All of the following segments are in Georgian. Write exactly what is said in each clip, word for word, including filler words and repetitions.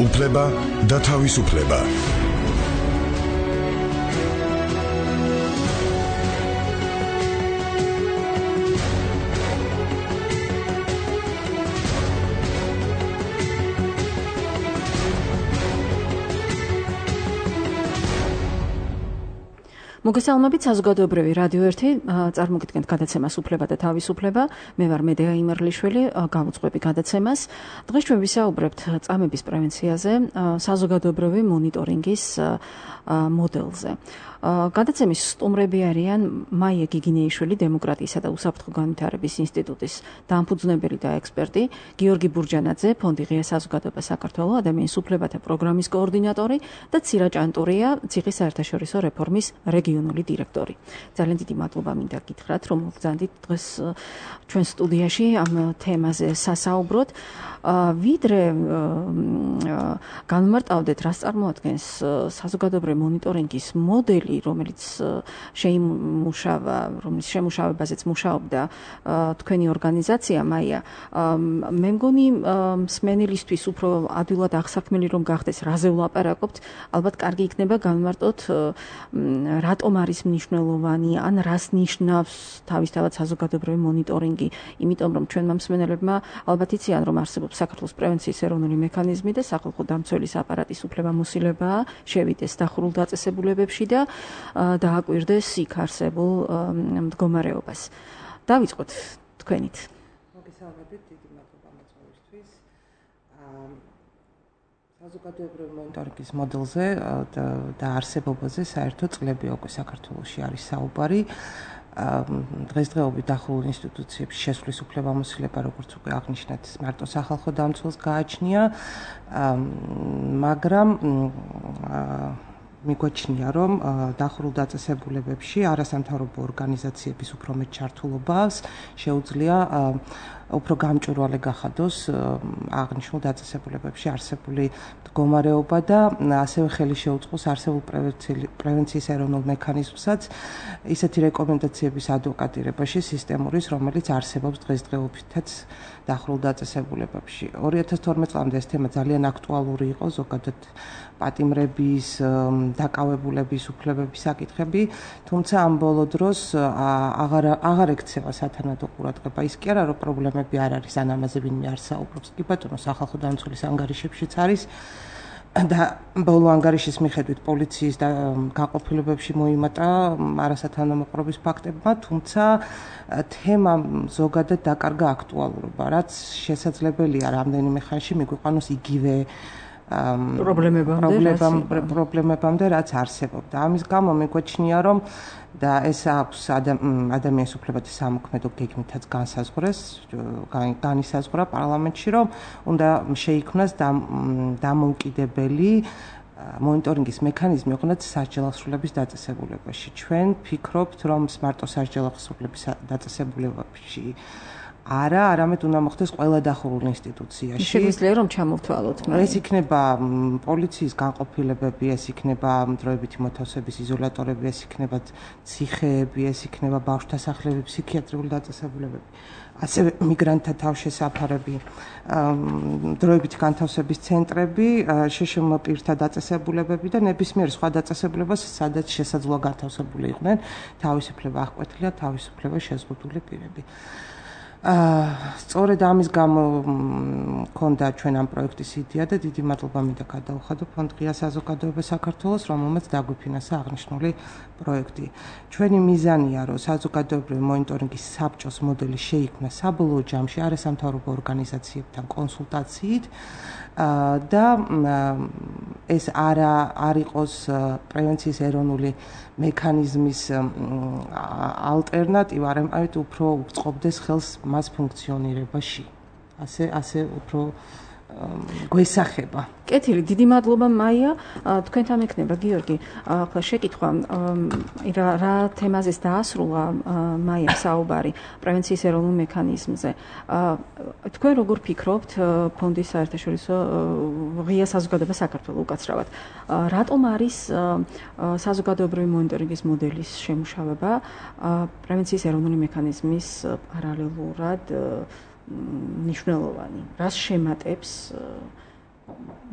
უფლება და თავისუფლება. მოგესალმებით, საზოგადოებრივი რადიო ერთი წარმოგიდგენთ გადაცემას უფლება და თავისუფლება. მე ვარ მედეა იმერლიშვილი, გავუძღვები გადაცემას. დღეს ჩვენ ვისაუბრებთ წამების პრევენციაზე, საზოგადოებრივი მონიტორინგის მოდელზე. გადაცემის სტუმრები არიან მაია გიგინეიშვილი, დემოკრატიისა და უსაფრთხო განვითარების ინსტიტუტის დამფუძნებელი და ექსპერტი, გიორგი ბურჯანაძე, ფონდი ღია საზოგადოება საქართველოს ადამიანის უფლებათა პროგრამის კოორდინატორი და ცირა ჭანტურია, ციხის საერთაშორისო რეფორმის რეგიონული დირექტორი. ძალიან დიდი მადლობა მინდა გითხრათ, რომ მოგზანდით დღეს ჩვენ სტუდიაში ამ თემაზე სასაუბროთ. ვიდრე განმარტავდეთ, რას წარმოადგენს საზოგადოებრივი მონიტორინგის მოდელი, რომელიც შეიმუშავა, რომელიც შემუშავებაზეც მუშაობდა თქვენი ორგანიზაცია მაია. მე მგონი მსმენელისთვის უფრო ადვილად აღსაქმელი რომ გახდეს, რაზე ვლაპარაკობთ, ალბათ კარგი იქნება განმარტოთ, რატომ არის მნიშვნელოვანი, ან რას ნიშნავს თავისთავად საზოგადოებრივი მონიტორინგი, იმიტომ რომ ჩვენმა მსმენელებმა ალბათ იციან, რომ არსებობს საქართველოს პრევენციის ეროვნული მექანიზმი და სახალხო დამცველის აპარატის უფლებამოსილებაა, შევიდეს დახურულ დაწესებულებებში და დააკვირდეს იქ არსებულ მდგომარეობას. დავიწყოთ თქვენით. მოგესალმებით, დიდი მადლობა მოწვევისთვის. საზოგადოებრივი მონიტორინგის მოდელზე და არსებობაზე საერთო წლები უკვე საქართველოში არის საუბარი. დღესდღეობით დახურულ ინსტიტუციებში შესვლის უფლებამოსილება, როგორც უკვე აღნიშნეთ, მარტო სახალხო დამცველს გააჩნია, მაგრამ მიგვაჩნია, რომ დახურულ დაწესებულებებში არასამთავრობო ორგანიზაციების უფრო მეტ ჩართულობას შეუძლია უფრო გამჭვირვალე გახადოს აღნიშნულ დაწესებულებებში არსებული მდგომარეობა და ასევე ხელი შეუწყოს არსებულ პრევენციის ეროვნულ მექანიზმსაც ისეთი რეკომენდაციების ადვოკატირებაში სისტემურის, რომელიც არსებობს დღესდღეობითაც დახურულ დაწესებულებებში. ორი ათას თორმეტ წლამდე ეს თემა ძალიან აქტუალური იყო, ზოგადად პატიმრების, დაკავებულების, უფლებების საკითხები, თუმცა ამ ბოლო დროს აღარ აღარ ექცევა სათანადო ყურადღება. ის კი არა, რომ პრობლემები არ არის, ან ამაზე ვინმე არ საუბრობს. კი ბატონო, სახალხო დამცველის ანგარიშებშიც არის და ბოლო ანგარიშის მიხედვით პოლიციის და გაყოფილებებში მოიმატა არასათანადო ფაქტებმა, თუმცა თემა ზოგადად დაკარგა აქტუალურობა, რაც შესაძლებელია რამდენიმე ხანში მიგვიყვანოს იგივე პრობლემებამდე, რაც არსებობდა. ამის გამო მეგვაჩნია, რომ და ეს აქვს ადამიანის უფლებათა სამოქმედო გეგმითაც განსაზღვრეს, განისაზღვრა პარლამენტში, რომ უნდა შეიქმნას დამოუკიდებელი მონიტორინგის მექანიზმი, ოღონდ სასჯელახსრულების დაწესებულებაში. ჩვენ ვფიქრობთ, რომ მარტო სასჯელახსრულების დაწესებულებაში არა, არამედ უნდა მოხდეს ყველა დახურულ ინსტიტუციაში. შეგვიძლია რომ ჩამოვთვალოთ. ეს იქნება პოლიციის განყოფილებები, ეს იქნება დროებითი მოთავსების იზოლატორები, ეს იქნება ციხეები, ეს იქნება ბავშვთა სახლები, ფსიქიატრიული დაწესებულებები. ასევე მიგრანტთა თავშესაფარები, დროებითი განთავსების ცენტრები, შეშმ პირთა დაწესებულებები და ნებისმიერ სხვა დაწესებულებას, სადაც შესაძლოა განთავსებული იყვნენ თავისუფლება აღკვეთილი და თავისუფლება შეზღუდული პირები. სწორედ ამის გამო მქონდა ჩვენ ამ პროექტის იდეა და დიდი მადლობა მინდა გადაუხადო ფონდ ღია საზოგადოება საქართველოს, რომელმაც დაგვიფინანსა აღნიშნული პროექტი. ჩვენი მიზანია, რომ საზოგადოებრივი მონიტორინგის საბჭოს მოდელი შეიქმნა საბოლოო ჯამში არასამთავრობო ორგანიზაციებთან კონსულტაციით და ეს არა არ იყოს პრევენციის ეროვნული მექანიზმის ალტერნატივა, არამედ უფრო უწყობდეს ხელს მას ფუნქციონირებაში. ასე ასე უფრო გვესახება. კეთილი, დიდი მადლობა მაია. თქვენთან ექნება გიორგი. ახლა შეკითხვა, რა თემაზეც დაასრულა მაია საუბარი პრევენციის ეროვნულ მექანიზმზე. თქვენ როგორ ფიქრობთ ფონდის საერთაშორისო ღია საზოგადოება საქართველოს უკაცრავად, რატომ არის საზოგადოებრივი მონიტორინგის მოდელის შემუშავება პრევენციის ეროვნული მექანიზმის პარალელურად მნიშვნელოვანი? რას შემატებს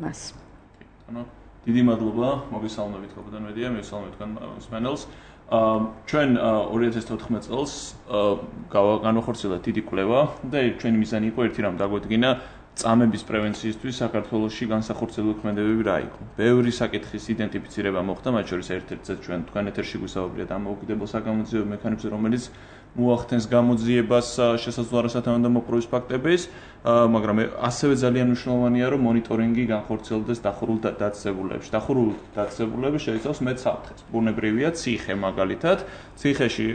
მას. ანუ დიდი მადლობა, მოგესალმებით გოგოდან მედია, მოგესალმებით თქვენ მსმენელს. ჩვენ ორი ათას თოთხმეტ წელს განვახორციელა დიდი კვლევა და ჩვენი მიზანი იყო ერთი რამ დაგვედგინა წამების პრევენციისთვის საქართველოში განსახორციელებული ქმედებები რა იყო. ბევრი საკითხის იდენტიფიცირება მოხდა, მათ შორის ერთ-ერთზე ჩვენ თქვენ ეთერში გვისაუბრეთ დამოუკიდებელ საგამოძიებო მექანიზმზე, რომელიც მოახდენს გამოძიებას შესაძლოა არასათანადო მოპყრობის ფაქტების, მაგრამ ასევე ძალიან მნიშვნელოვანია, რომ მონიტორინგი განხორციელდეს დახურულ დაწესებულებებში. დახურულ დაწესებულები შეიცავს მეტ საფრთხეს. ბუნებრივია ციხე მაგალითად. ციხეში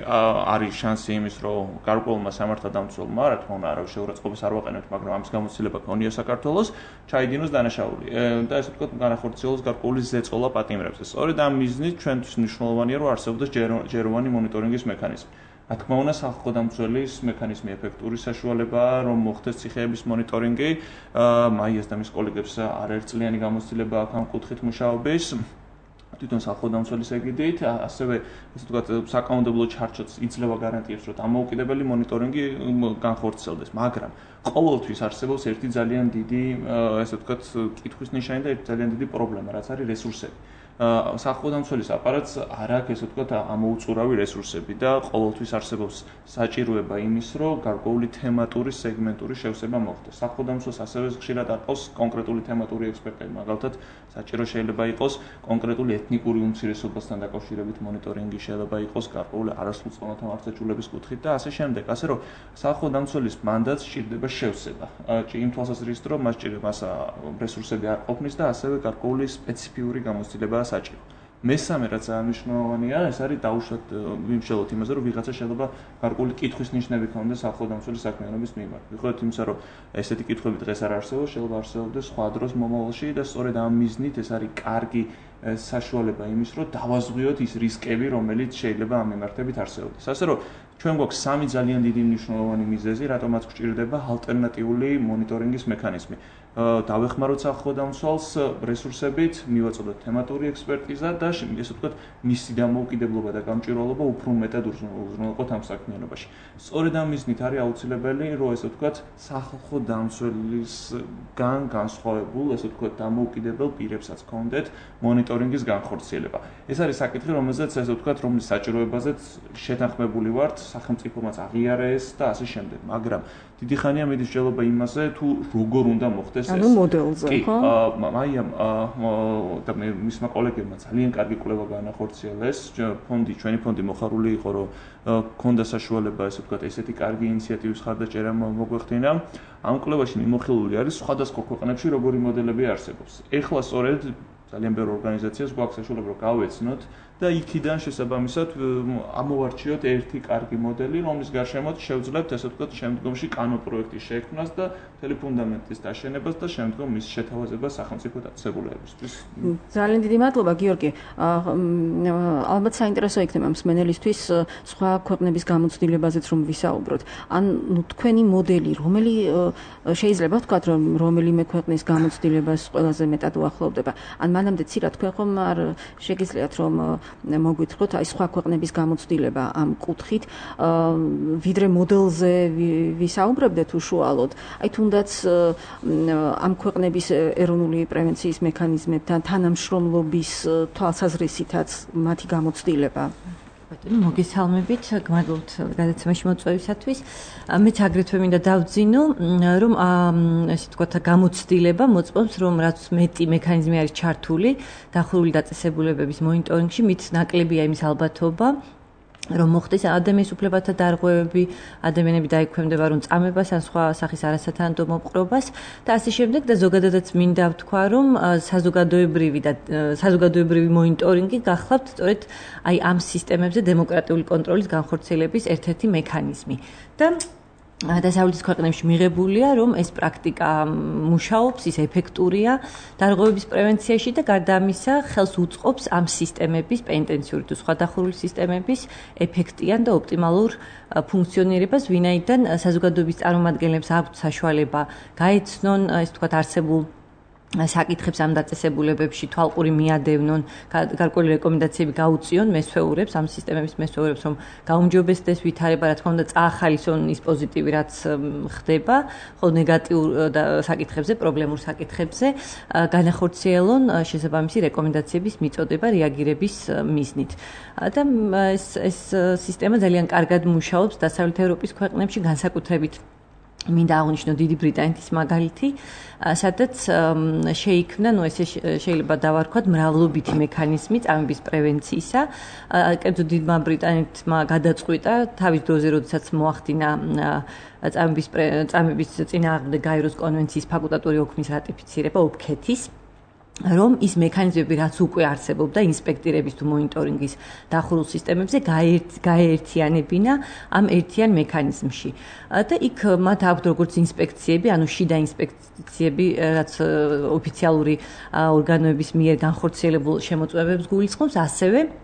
არის შანსი იმის, რომ გარკვეულმა სამართალდამცველმა, რა თქმა უნდა, არავის შეურაცხყოფას არ ვაყენებთ, მაგრამ ამის გამოცდილება ქონია საქართველოს, ჩაიდინოს დანაშაული და ესე ვთქვათ, განახორციელოს გარკვეული ზეწოლა პატიმრებზე. სწორედ ამ მიზნით ჩვენთვის მნიშვნელოვანია, რომ არსებობდეს ჯეროვანი მონიტორინგის მექანიზმი. რა თქმა უნდა, სახალხო დამცველის მექანიზმი ეფექტური საშუალებაა, რომ მოხდეს ციხეების მონიტორინგი. მაიას და მის კოლეგებს არაერთწლიანი გამოცდილება აქვს ამ კუთხით მუშაობის. თვითონ სახალხო დამცველის ეგიდით, ასევე ესე ვთქვათ, საკანონმდებლო ჩარჩოც იძლევა გარანტიებს, რომ დამოუკიდებელი მონიტორინგი განხორციელდეს, მაგრამ ყოველთვის არსებობს ერთი ძალიან დიდი, ესე ვთქვათ, კითხვის ნიშანი და ერთი ძალიან დიდი პრობლემა, რაც არის რესურსები. სახალხო დამცველის აპარატს არ აქვს, ესე ვთქვათ, ამოუწურავი რესურსები და ყოველთვის არსებობს საჭიროება იმის, რომ გარკვეული თემატური სეგმენტური შევსება მოხდეს. სახალხო დამცველს ასევე ხშირად არყავს კონკრეტული თემატური ექსპერტები, მაგალითად, საჭირო შეიძლება იყოს კონკრეტული ეთნიკური უმცირესობასთან დაკავშირებით მონიტორინგი, შეიძლება იყოს გარკვეული არასრულწლოვანთა მართლმსაჯულების კუთხით და ასე შემდეგ. ასე რომ სახალხო დამცველის მანდატს სჭირდება შევსება. იმ თვალსაზრისით, რომ მას სჭირდება რესურსები არ ყოფნის და ასევე გარკვეული სპეციფიური გამოცდილება საჭირო. მესამე რაც მნიშვნელოვანია, ეს არის დაუშვათ ვიმსჯელოთ იმაზე, რომ ვიღაცა შეიძლება გარკვეული კითხვის ნიშნები ქონდეს სახალხო დამცველის საქმიანობის მიმართ. ვიხოთ იმისა, რომ ესეთი კითხვები დღეს არ არსებობს, შეიძლება არსებობდეს სხვა დროს მომავალში და სწორედ ამ მიზნით ეს არის კარგი საშუალება იმის, რომ დავაზღვიოთ ის რისკები, რომელიც შეიძლება ამ მიმართებით არსებობდეს. ასე რომ ჩვენ გვაქვს სამი ძალიან დიდი მნიშვნელოვანი მიზეზი, რატომაც გვჭირდება ალტერნატიული მონიტორინგის მექანიზმი. დავეხმაროთ სახალხო დამცველს რესურსებით, მივაწოდოთ თემატური ექსპერტიზა და ესე ვთქვათ, მისი დამოუკიდებლობა და გამჭვირვალობა უფრო მეტად უზრუნველყოთ ამ საქმიანობაში. სწორედ ამ მიზნით არის აუცილებელი, რომ ესე ვთქვათ, სახალხო დამცველისგან განსხვავებულ, ესე ვთქვათ, დამოუკიდებელ პირებსაც ჰქონდეთ მონიტორინგის განხორციელება. ეს არის საკითხი, რომელზეც ესე ვთქვათ, რომლის საჭიროებაზეც შეთანხმებული ვართ, სახელმწიფომაც აღიარეს და ასე შემდეგ. მაგრამ დიდი ხანია მიდის მსჯელობა იმაზე, თუ როგორ უნდა მოხდეს ანუ მოდელზე, ხო? მაიამ და მისმა კოლეგებმა ძალიან კარგი კვლევა განახორციელეს. ფონდი, ჩვენი ფონდი მოხარული იყო, რომ ქონდა საშუალება, ესე ვთქვათ, ესეთი კარგი ინიციატივის ხარდაჭერა მოგვეხდინა. ამ კვლევაში მიმოხილული არის სხვადასხვა ქვეყნებში როგორი მოდელები არსებობს. ეხლა სწორედ ძალიან ბევრ ორგანიზაციას გვაქვს საშუალება, რომ გავეცნოთ და იქიდან შესაბამისად ამოვარჩიოთ ერთი კარგი მოდელი, რომლის გარშემოთ შევძლებთ, ესე ვთქვათ, შემდგომში კანონპროექტის შექმნას და მთელი ფუნდამენტის დაშენებას და შემდგომ მის შეთავაზებას სახელმწიფო დაწესებულებისთვის. ძალიან დიდი მადლობა, გიორგი. ალბათ საინტერესო იქნება მსმენელისთვის სხვა ქვეყნების გამოცდილებაზეც რომ ვისაუბროთ. ან ნუ თქვენი მოდელი, რომელი შეიძლება ვთქვათ, რომ რომელიმე ქვეყნის გამოცდილებას ყველაზე მეტად უახლოვდება. ან მანამდე ცირა თქვენ ხომ არ შეგიძლიათ რომ მოგვითხროთ აი სხვა ქვეყნების გამოცდილება ამ კუთხით, ვიდრე მოდელზე ვისაუბრებდეთ უშუალოდ. აი თუნდაც ამ ქვეყნების ეროვნული პრევენციის მექანიზმებთან თანამშრომლობის თვალსაზრისითაც მათი გამოცდილება. მოგესალმებით, გმადლობთ გადაცემაში მოწვევისათვის. მეც აგრეთვე მინდა დავძინო, რომ ესე ვთქვათ, გამოცდილება მოწმობს, რომ რაც მეტი მექანიზმი არის ჩართული დახურული დაწესებულებების მონიტორინგში, მით ნაკლებია იმის ალბათობა, რომ მოხდეს ადამიანის უფლებათა დარღვევები, ადამიანები დაიქვემდება რომ წამებას ან სხვა სახის არასათანადო მოპყრობას და ასე შემდეგ და ზოგადადაც მინდა ვთქვა, რომ საზოგადოებრივი და საზოგადოებრივი მონიტორინგი გახლავთ სწორედ აი ამ სისტემებზე დემოკრატიული კონტროლის განხორციელების ერთ-ერთი მექანიზმი. და დასავლეთის ქვეყნებში მიღებულია, რომ ეს პრაქტიკა მუშაობს, ის ეფექტურია დარღვევების პრევენციაში და გარდა ამისა ხელს უწყობს ამ სისტემების პენტენციური თუ სხვა დახურული სისტემების ეფექტიან და ოპტიმალურ ფუნქციონირებას, ვინაიდან საზოგადოების წარმომადგენლებს აქვთ საშუალება გაეცნონ, ეს თქვათ, არსებულ საკითხებს ამ დაწესებულებებში თვალყური მიადევნონ, გარკვეული რეკომენდაციები გაუწიონ მესვეურებს, ამ სისტემების მესვეურებს, რომ გაუმჯობესდეს ვითარება, რა თქმა უნდა, წაახალისონ ის პოზიტივი, რაც ხდება, ხოლო ნეგატიურ საკითხებზე, პრობლემურ საკითხებზე განახორციელონ შესაბამისი რეკომენდაციების მიწოდება რეაგირების მიზნით. და ეს ეს სისტემა ძალიან კარგად მუშაობს დასავლეთ ევროპის ქვეყნებში, განსაკუთრებით მინდა აღვნიშნო დიდი ბრიტანეთის მაგალითი, სადაც შეიქმნა, ну ესე შეიძლება დავარქვათ, მრავლობითი მექანიზმი წამების პრევენციისა. კერძო დიდმა ბრიტანეთმა გადაწყვიტა თავის დროზე, როდესაც მოახდინა წამების წამების წინააღმდეგ გაეროს კონვენციის ფაკულტატური ოქმის რატიფიცირება ოფქეთის, რომ ის მექანიზმები, რაც უკვე არსებობდა ინსპექტირების თუ მონიტორინგის დახურულ სისტემებზე, გაეერთიანებინა ამ ერთიან მექანიზმში. და იქ მათ აქვთ როგორც ინსპექციები, ანუ შიდა ინსპექციები, რაც ოფიციალური ორგანოების მიერ განხორციელებულ შემოწმებებს გულისხმობს, ასევე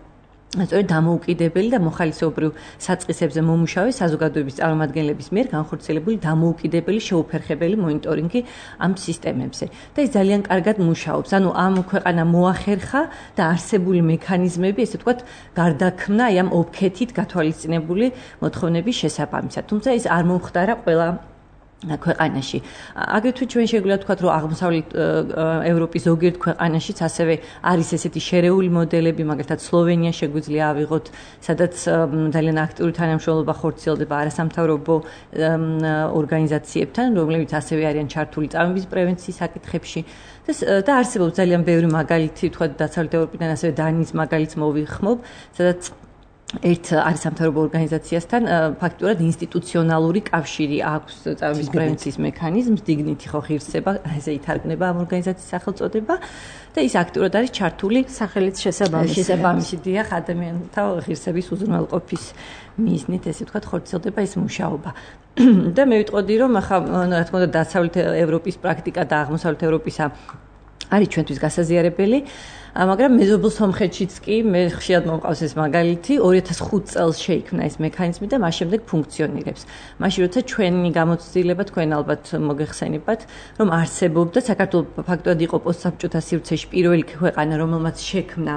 სწორედ დამოუკიდებელი და მოხალისეობრივ საწყისებზე მომუშავე საზოგადოების წარმომადგენლების მიერ განხორციელებული დამოუკიდებელი შეუფერხებელი მონიტორინგი ამ სისტემებზე. და ის ძალიან კარგად მუშაობს. ანუ ამ ქვეყანა მოახერხა და არსებული მექანიზმები, ესე ვთქვათ, გარდაქმნა აი ამ ოფქეთით გათვალისწინებული მოთხოვნების შესაბამისად. თუმცა ის არ მომხდარა ყველა ქვეყანაში. აგრეთვე ჩვენ შეგვიძლია ვთქვათ, რომ აღმოსავლეთ ევროპის ზოგიერთ ქვეყანაშიც ასევე არის ესეთი შერეული მოდელები, მაგალითად სლოვენია შეგვიძლია ავიღოთ, სადაც ძალიან აქტიური თანამშრომლობა ხორციელდება არასამთავრობო ორგანიზაციებთან, რომლებიც ასევე არიან ჩართული წამების პრევენციის საკითხებში. და არსებობს ძალიან ბევრი მაგალითი, ვთქვათ, დასავლეთ ევროპიდან ასევე დანიის მაგალითს მოვიხმობ, სადაც ერთ არასამთავრობო ორგანიზაციასთან ფაქტურად ინსტიტუციონალური კავშირი აქვს წამების პრევენციის მექანიზმს, დიგნითი ხო ღირსება, ესე ითარგმნება ამ ორგანიზაციის სახელწოდება და ის აქტიურად არის ჩართული სახელით შესაბამისი. შესაბამისი დიახ, ადამიანთა ღირსების უზრუნველყოფის მიზნით, ესე ვთქვათ, ხორციელდება ეს მუშაობა. და მე ვიტყოდი, რომ ახლა რა თქმა უნდა დასავლეთ ევროპის პრაქტიკა და აღმოსავლეთ ევროპისა არის ჩვენთვის გასაზიარებელი. მაგრამ მეზობელ სომხეთშიც კი მე ხშირად მომყავს ეს მაგალითი, ორი ათას ხუთი წელს შეიქმნა ეს მექანიზმი და მას შემდეგ ფუნქციონირებს. მაშინ როცა ჩვენი გამოცდილება თქვენ ალბათ მოგეხსენებათ, რომ არსებობდა საქართველოს ფაქტობრივად იყო პოსტსაბჭოთა სივრცეში პირველი ქვეყანა, რომელმაც შექმნა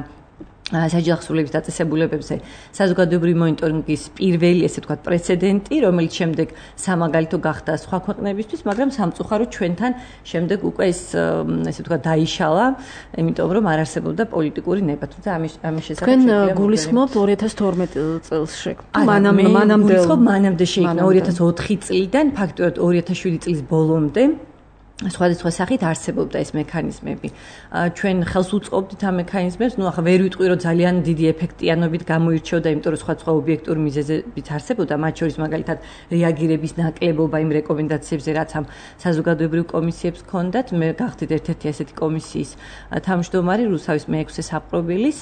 საჯელახსოვლების დაწესებულებებზე საზოგადოებრივი მონიტორინგის პირველი, ესე ვთქვათ, პრეცედენტი, რომელიც შემდეგ სამაგალითო გახდა სხვა ქვეყნებისთვის, მაგრამ სამწუხაროდ ჩვენთან შემდეგ უკვე ეს, ესე ვთქვათ, დაიშალა, იმიტომ რომ არ არსებობდა პოლიტიკური ნება. თუმცა ამის ამის შესახებ თქვენ გულისხმობთ ორი ათას თორმეტი წელს შექმნა. მანამ მანამდე გულისხმობ მანამდე შექმნა ორი ათას ოთხი წლიდან, ფაქტობრივად ორი ათას შვიდი წლის ბოლომდე. სხვადასხვა სახით არსებობდა ეს მექანიზმები. ჩვენ ხელს უწყობდით ამ მექანიზმებს, ну ახლა ვერ ვიტყვი, რომ ძალიან დიდი ეფექტიანობით გამოირჩეოდა, იმიტომ რომ სხვადასხვა ობიექტური მიზეზებით არსებობდა, მათ შორის მაგალითად რეაგირების ნაკლებობა იმ რეკომენდაციებზე, რაც ამ საზოგადოებრივ კომისიებს ჰქონდათ. მე გახდით ერთ-ერთი ასეთი კომისიის თავმჯდომარე რუსავის მეექვსე საპყრობილის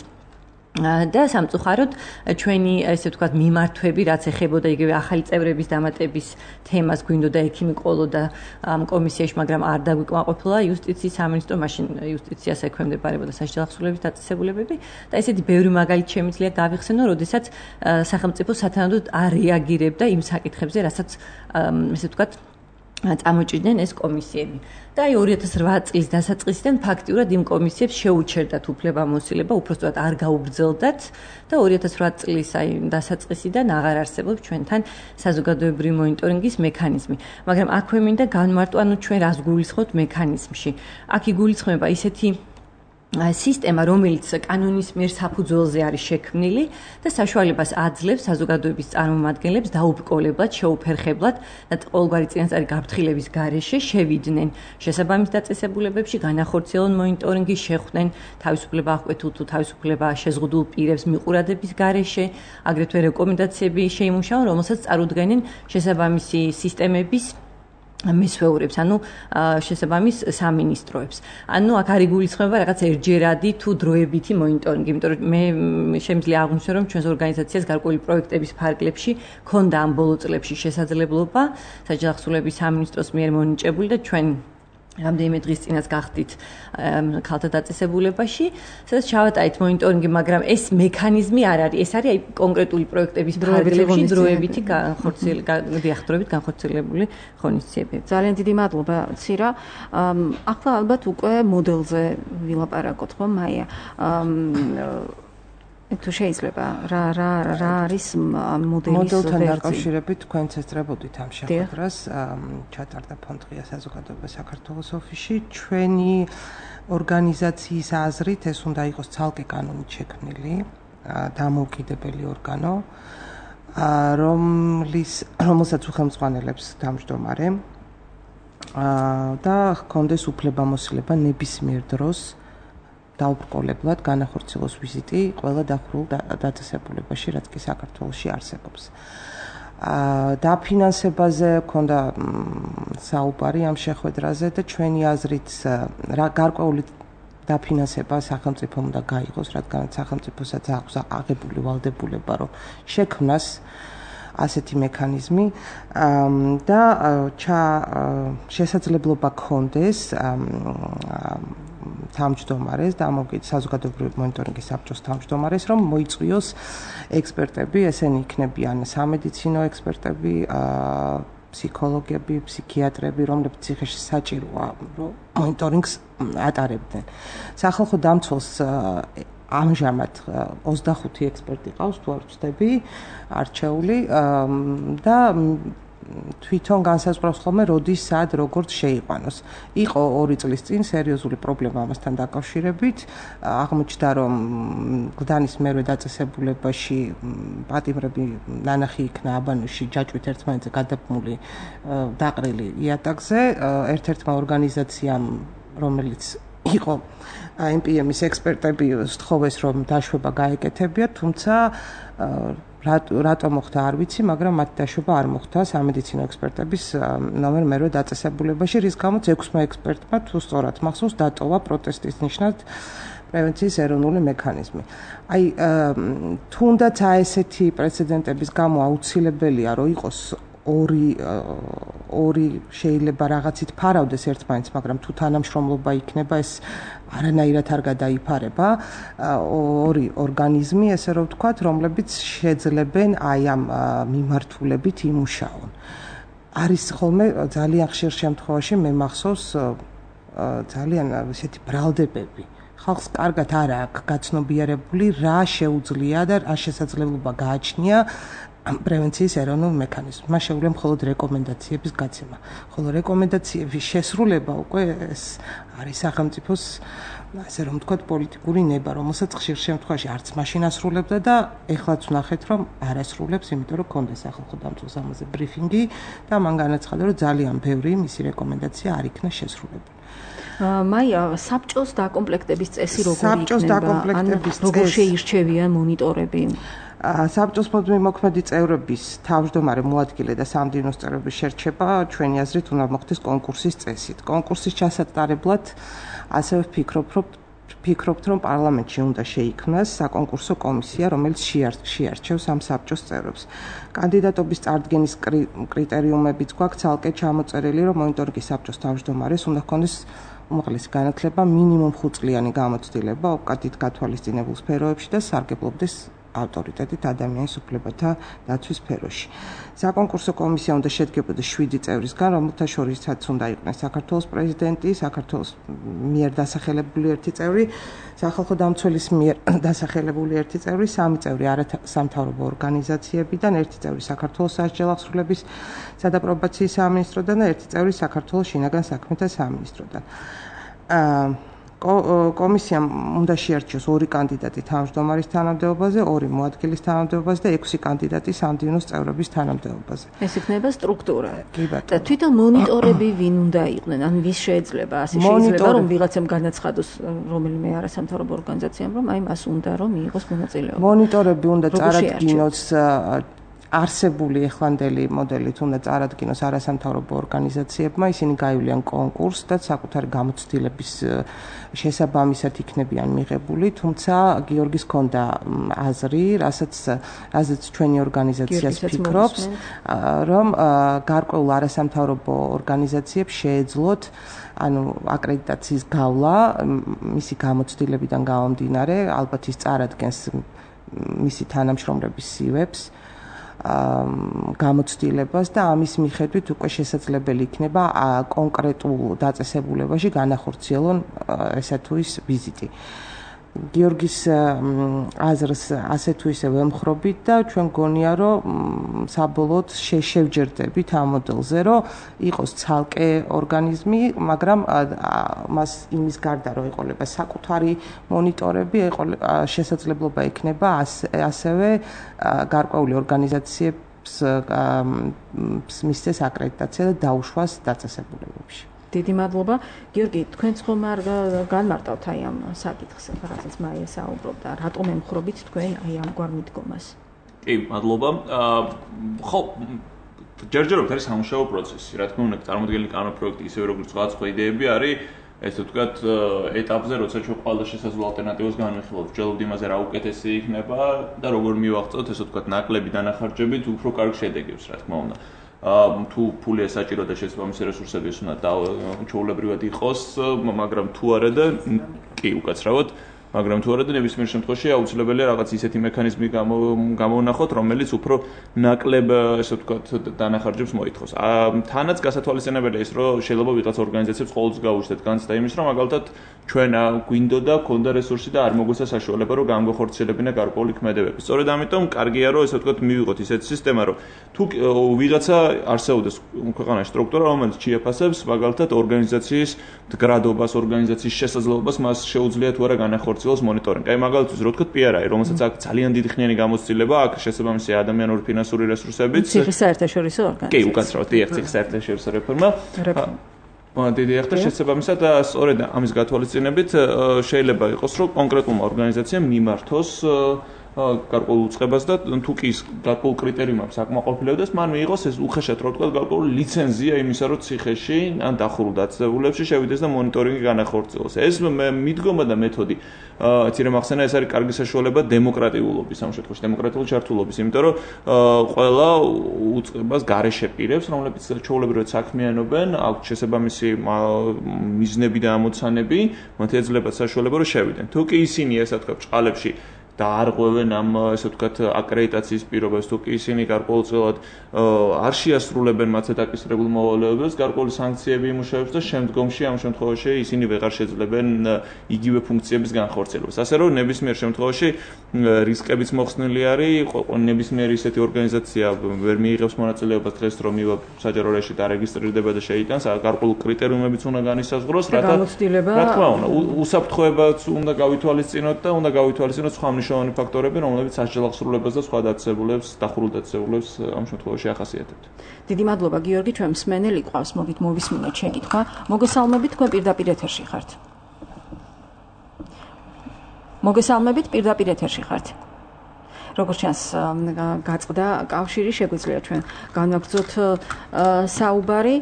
და სამწუხაროდ ჩვენი ესე ვთქვათ მიმართვები, რაც ეხებოდა იგივე ახალი წევრების დამატების თემას, გვინდოდა ექიმი ყოლო და ამ კომისიაში, მაგრამ არ დაგვიკმაყოფილა იუსტიციის სამინისტრო, მაშინ იუსტიციას ექვემდებარებოდა საჯელახსოვლების დაწესებულებები და ესეთი ბევრი მაგალითი შემიძლია გავიხსენო, როდესაც სახელმწიფო სათანადოდ არ რეაგირებდა იმ საკითხებზე, რასაც ესე ვთქვათ წამოჭრიდნენ ეს კომისიები. და აი ორი ათას რვა წლის დასაწყისიდან ფაქტიურად იმ კომისიებს შეუჩერდათ უფლებამოსილება, უпростоად არ გაუგრძელდათ და ორი ათას რვა წლის აი დასაწყისიდან აღარ არსებობს ჩვენთან საზოგადოებრივი მონიტორინგის მექანიზმი. მაგრამ აქვე მინდა განმარტო, ანუ ჩვენ რას გულისხმობთ მექანიზმში. აქ იგულისხმება ისეთი სისტემა, რომელიც კანონის მიერ საფუძველზე არის შექმნილი და საშუალებას აძლევს საზოგადოების წარმომადგენლებს დაუბრკოლებლად, შეუფერხებლად და ყოველგვარი წინასწარი გაფრთხილების გარეშე შევიდნენ შესაბამის დაწესებულებებში, განახორციელონ მონიტორინგი, შეხვდნენ თავისუფლება აღკვეთილ თუ თავისუფლება შეზღუდულ პირებს მიყურადების გარეშე, აგრეთვე რეკომენდაციები შეიმუშაონ, რომელსაც წარუდგენენ შესაბამისი სისტემების მესვეურებს, ანუ შესაბამის სამინისტროებს. ანუ აქ არის გულისხმობა რაღაც ერთჯერადი თუ დროებითი მონიტორინგი, იმიტომ რომ მე შემიძლია აღვნიშნო, რომ ჩვენს ორგანიზაციას გარკვეული პროექტების ფარგლებში ქონდა ამ ბოლო წლებში შესაძლებლობა საჯელახსოვლების სამინისტროს მიერ მონიჭებული და ჩვენ რამდენიმე დღის წინაც გახდით ქალთა დაწესებულებაში, სადაც ჩავატარეთ მონიტორინგი, მაგრამ ეს მექანიზმი არ არის. ეს არის აი კონკრეტული პროექტების ფარგლებში დროებითი განხორციელებული განხორციელებული ღონისძიებები. ძალიან დიდი მადლობა, ცირა. ახლა ალბათ უკვე მოდელზე ვილაპარაკოთ, ხო, მაია? თუ შეიძლება რა რა რა არის მოდელის მოდელთან დაკავშირებით თქვენც ესწრებოდით ამ შეხვედრას ჩატარდა ფონდღია საზოგადოება საქართველოს ოფისში. ჩვენი ორგანიზაციის აზრით ეს უნდა იყოს ცალკე კანონით შექმნილი დამოუკიდებელი ორგანო, რომლის რომელსაც უხელმძღვანელებს თავმჯდომარე და ჰქონდეს უფლებამოსილება ნებისმიერ დროს დაუბრკოლებლად განახორციელოს ვიზიტი ყველა დახურულ დაწესებულებაში, რაც კი საქართველოში არსებობს. დაფინანსებაზე ქონდა საუბარი ამ შეხვედრაზე და ჩვენი აზრით გარკვეული დაფინანსება სახელმწიფომ უნდა გაიღოს, რადგან სახელმწიფოსაც აქვს აღებული ვალდებულება, რომ შექმნას ასეთი მექანიზმი და შესაძლებლობა ქონდეს თავმჯდომარეს, დამოუკიდებელი საზოგადოებრივი მონიტორინგის საბჭოს თავმჯდომარეს, რომ მოიწვიოს ექსპერტები, ესენი იქნებიან სამედიცინო ექსპერტები, ფსიქოლოგები, ფსიქიატრები, რომლებიც ციხეში საჭიროა, რომ მონიტორინგს ატარებდნენ. სახალხო დამცველს ამჟამად ოცდახუთი ექსპერტი ყავს, თუ არ ვცდები, არჩეული და თვითონ განსაზღვრავს ხოლმე როდის, სად, როგორც შეიყვანოს. იყო ორი წლის წინ სერიოზული პრობლემა ამასთან დაკავშირებით. აღმოჩნდა, რომ გლდანის მერვე დაწესებულებაში პატიმრები ნანახი იქნა აბანოში ჯაჭვით ერთმანეთზე გადაბმული დაყრილი იატაკზე. ერთ-ერთმა ორგანიზაციამ, რომელიც იყო ემ პი ემის ექსპერტები, სთხოვეს, რომ დაშვება გაეკეთებიათ, თუმცა რატო მოხდა არ ვიცი, მაგრამ მათი დაშვება არ მოხდა სამედიცინო ექსპერტების ნომერ მერვე დაწესებულებაში, რის გამოც ექვსმა ექსპერტმა თუ სწორად მახსოვს დატოვა პროტესტის ნიშნად პრევენციის ეროვნული მექანიზმი. აი თუნდაც ესეთი პრეცედენტების გამო აუცილებელია, რომ იყოს ორი ორი შეიძლება რაღაცით ფარავდეს ერთმანეთს, მაგრამ თუ თანამშრომლობა იქნება, ეს არანაირად არ გადაიფარება. ორი ორგანიზმი, ესე რომ ვთქვათ, რომლებიც შეძლებენ აი ამ მიმართულებით იმუშაონ. არის ხოლმე ძალიან ხშირ შემთხვევაში მე მახსოვს ძალიან ესეთი ბრალდებები. ხალხს კარგად არ აქვს გაცნობიერებული რა შეუძლია და რა შესაძლებლობა გააჩნია პრევენციის ეროვნულ მექანიზმს. მას შეუძლია მხოლოდ რეკომენდაციების გაცემა. ხოლო რეკომენდაციების შესრულება უკვე ეს არის სახელმწიფოს, ასე რომ ვთქვათ, პოლიტიკური ნება, რომელსაც ხშირ შემთხვევაში არც მაშინ ასრულებდა და ეხლაც ვნახეთ, რომ არ ასრულებს, იმიტომ რომ ქონდა სახალხო დამცველს ამაზე ბრიფინგი და მან განაცხადა, რომ ძალიან ბევრი მისი რეკომენდაცია არ იქნა შესრულებული. მაია, საბჭოს დაკომპლექტების წესი როგორი იქნება? საბჭოს დაკომპლექტების წესი როგორ შეირჩევიან მონიტორები? საბჭოს მოქმედი წევრების თავმჯდომარე მოადგილე და სამდივნოს წევრების შერჩება ჩვენი აზრით უნდა მოხდეს კონკურსის წესით. კონკურსის ჩასატარებლად ასევე ვფიქრობ, რომ ვფიქრობთ, რომ პარლამენტში უნდა შეიქმნას საკონკურსო კომისია, რომელიც შეარჩევს ამ საბჭოს წევრებს. კანდიდატობის წარდგენის კრიტერიუმებიც გვაქვს ცალკე ჩამოწერილი, რომ მონიტორინგის საბჭოს თავმჯდომარეს უნდა ჰქონდეს უმაღლესი განათლება, მინიმუმ ხუთწლიანი გამოცდილება ოპკატით გათვალისწინებულ სფეროებში და სარგებლობდეს ავტორიტეტით ადამიანის უფლებათა დაცვის სფეროში. საკონკურსო კომისია უნდა შედგებოდეს შვიდი წევრისგან, რომელთა შორისაც უნდა იყვნენ საქართველოს პრეზიდენტი, საქართველოს მიერ დასახელებული ერთი წევრი, სახალხო დამცველის მიერ დასახელებული ერთი წევრი, სამი წევრი არასამთავრობო ორგანიზაციებიდან, ერთი წევრი საქართველოს სასჯელ აღსრულების სადაპრობაციო სამინისტროდან და ერთი წევრი საქართველოს შინაგან საქმეთა სამინისტროდან. კომისიამ უნდა შეარჩიოს ორი კანდიდატი თავმჯდომარის თანამდებობაზე, ორი მოადგილის თანამდებობაზე და ექვსი კანდიდატი სამდივნოს წევრების თანამდებობაზე. ეს იქნება სტრუქტურა. და თვითონ მონიტორები ვინ უნდა იყვნენ? ან ვის შეიძლება ასე შეიძლება რომ ვიღაცამ განაცხადოს რომელიმე არასამთავრობო ორგანიზაციამ, რომ აი მას უნდა რომ მიიღოს მონაწილეობა. მონიტორები უნდა წარადგინოს არსებული ეხლანდელი მოდელით უნდა წარადგინოს არასამთავრობო ორგანიზაციებმა, ისინი გაივლიან კონკურსს და საკუთარი გამოცდილების შესაბამისად იქნებიან მიღებული, თუმცა გიორგის ჰქონდა აზრი, რასაც რაზეც ჩვენი ორგანიზაციას ფიქრობს, რომ გარკვეულ არასამთავრობო ორგანიზაციებს შეეძლოთ ანუ აკრედიტაციის გავლა მისი გამოცდილებიდან გამომდინარე, ალბათ ის წარადგენს მისი თანამშრომლების სივებს გამოცდილებას და ამის მიხედვით უკვე შესაძლებელი იქნება კონკრეტულ დაწესებულებაში განახორციელონ ესე თუ ის ვიზიტი. გიორგის აზრს ასე თუ ისე ვემხრობით და ჩვენ გონია რომ საბოლოოდ შევჯერდებით ამ მოდელზე რომ იყოს ცალკე ორგანიზმი, მაგრამ მას იმის გარდა რომ ეყოლება საკუთარი მონიტორები, შესაძლებლობა იქნება ასევე გარკვეული ორგანიზაციებს მისცეს აკრედიტაცია და დაუშვას დაწესებულებებში. დიდი მადლობა. გიორგი, თქვენც ხომ არ განმარტავთ აი ამ საკითხს, რაღაცას მაია საუბრობდა, რატომ ემხრობით თქვენ აი ამგვარ მიდგომას? კი, მადლობა. ხო, ჯერჯერობით არის სამუშაო პროცესი. რა თქმა უნდა, წარმოდგენილი კანონპროექტი ისევე როგორც სხვა სხვა იდეები არის, ესე ვთქვათ, ეტაპზე, როცა ჩვენ ყველა შესაძლო ალტერნატივას განვიხილავთ, ვჯელობთ იმაზე, რა უკეთესი იქნება და როგორ მივაღწევთ, ესე ვთქვათ, ნაკლები დანახარჯებით უფრო კარგ შედეგებს, რა თქმა უნდა. თუ ფულია საჭირო და შესაბამისი რესურსები უნდა ჩვეულებრივად იყოს, მაგრამ თუ არა და კი უკაცრავად, მაგრამ თუ არა და ნებისმიერ შემთხვევაში აუცილებელია რაღაც ისეთი მექანიზმი გამოვნახოთ, რომელიც უფრო ნაკლებ, ესე ვთქვათ, დანახარჯებს მოითხოვს. თანაც გასათვალისწინებელია ის, რომ შეიძლება ვიღაც ორგანიზაციებს ყოველთვის გაუჩნდეთ განცდა იმის, რომ მაგალითად ჩვენ გვინდოდა, ქონდა რესურსი და არ მოგვეცა საშუალება, რომ განგვეხორციელებინა გარკვეული ქმედებები. სწორედ ამიტომ კარგია, რომ ესე ვთქვათ, მივიღოთ ისეთი სისტემა, რომ თუ ვიღაცა არსებობს ქვეყანაში სტრუქტურა, რომელიც შეაფასებს მაგალითად ორგანიზაციის მდგრადობას, ორგანიზაციის შესაძლებლობას, მას შეუძლია თუ არა განახორციელოს მონიტორინგი. აი მაგალითად, რო ვთქვათ, პი არ აი, რომელსაც აქ ძალიან დიდი ხნიანი გამოცდილება აქვს, შესაბამისი ადამიანური ფინანსური რესურსებიც. ციხის საერთაშორისო ორგანიზაცია. კი, უკაცრავად, დიახ, ციხის საერთაშორისო რეფორმა. დიდი ახლა შესაბამისად და სწორედ ამის გათვალისწინებით შეიძლება იყოს, რომ კონკრეტულმა ორგანიზაციამ მიმართოს გარკვეულ უწყებას და თუ კი ის გარკვეულ კრიტერიუმებს აკმაყოფილებს, მან მიიღოს ეს უხეშად რო ვთქვათ, გარკვეული ლიცენზია იმისა, რომ ციხეში ან დახურულ დაწესებულებებში შევიდეს და მონიტორინგი განახორციელოს. ეს მიდგომა და მეთოდი ცირე მახსენა ეს არის კარგი საშუალება დემოკრატიულობის, ამ შემთხვევაში დემოკრატიული ჩართულობის, იმიტომ რომ ყველა უწყებას გარეშე პირებს, რომლებიც ჩვეულებრივად საქმიანობენ, აქვს შესაბამისი მიზნები და ამოცანები, მათ ეძლებათ საშუალება, რომ შევიდნენ. თუ კი ისინი ესე ვთქვათ, ჭყალებში და არღვევენ ამ ესე ვთქვათ აკრედიტაციის პირობებს, თუ კი ისინი გარკვეულწილად არ შეასრულებენ მათზე დაკისრებულ მოვალეობებს, გარკვეული სანქციები იმუშავებს და შემდგომში ამ შემთხვევაში ისინი ვეღარ შეძლებენ იგივე ფუნქციების განხორციელებას. ასე რომ ნებისმიერ შემთხვევაში რისკებიც მოხსნილი არის, ნებისმიერი ისეთი ორგანიზაცია ვერ მიიღებს მონაწილეობას დღეს რომ მივა საჯარო რეჟიმში დარეგისტრირდება და შეიტანს, გარკვეული კრიტერიუმებიც უნდა განისაზღვროს, რათა რა თქმა უნდა, უსაფრთხოებაც უნდა გავითვალისწინოთ და უნდა გავითვალისწინოთ სხვა მნიშვნელოვანი ფაქტორები, რომლებიც სასჯელახსრულებას და სხვა დაწესებულებს, დახურულ დაწესებულებს ამ შემთხვევაში ახასიათებთ. დიდი მადლობა გიორგი, ჩვენ მსმენელი ყავს, მოგით მოვისმინოთ შეკითხვა. მოგესალმებით, თქვენ პირდაპირ ეთერში ხართ. მოგესალმებით, პირდაპირ ეთერში ხართ. როგორც ჩანს, გაწყდა კავშირი, შეგვიძლია ჩვენ განვაგრძოთ საუბარი.